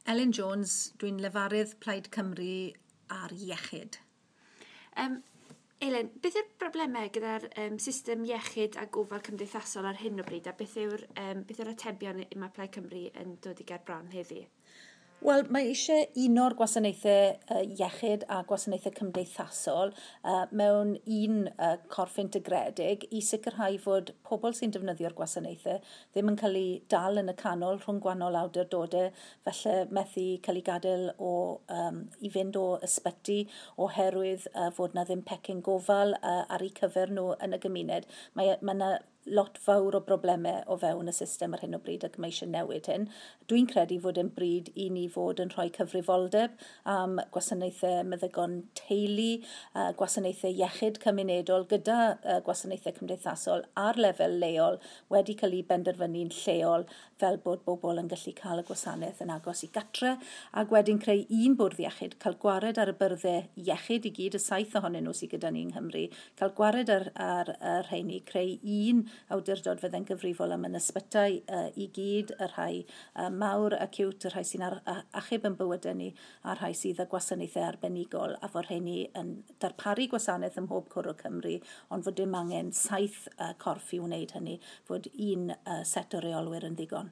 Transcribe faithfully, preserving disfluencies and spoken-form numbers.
Elin Jones, dwi'n lefarydd Plaid Cymru ar iechyd. Um, Elin, beth yw'r broblemau gyda'r um, system iechyd a gofal cymdeithasol ar hyn o bryd, a beth yw'r, um, beth yw'r atebion mae Plaid Cymru yn dod i ger bron heddi? Wel, mae eisiau uno'r gwasanaethau iechyd a gwasanaethau cymdeithasol uh, mewn un uh, corff integredig i sicrhau fod pobl sy'n defnyddio'r gwasanaethau ddim yn cael eu dal yn y canol rhwng gwahanol awdurdodau, felly methu cael eu gadael o, um, i fynd o ysbyty oherwydd uh, fod na ddim pecyn gofal uh, ar eu cyfer nhw yn y gymuned. Mae, mae yna lot fawr o broblemau o fewn y system ar hyn o bryd ac mae eisiau newid hyn. Dwi'n credu fod yn bryd i ni fod yn rhoi cyfrifoldeb am gwasanaethau meddygon teulu, gwasanaethau iechyd cymunedol gyda gwasanaethau cymdeithasol ar lefel leol wedi cael ei benderfynu'n lleol fel bod bobl yn gallu cael y gwasanaeth yn agos i gatre, ac wedyn creu un bwrdd iechyd, cael gwared ar y byrddau iechyd i gyd, y saith ohonyn nhw sydd gyda ni yng Nghymru, cael gwared ar, ar, ar rheini, creu un awdurdod fydde'n gyfrifol am yn ysbytai uh, i gyd, y rhai uh, mawr, acute, y rhai sy'n ar, achub yn bywydau ni, a'r rhai sydd â gwasanaethau arbenigol, a fod rheini yn darparu gwasanaeth ym mhob cwr o Cymru, ond fod dim angen saith uh, corff i wneud hynny, fod un uh, set o reolwyr yn ddigon.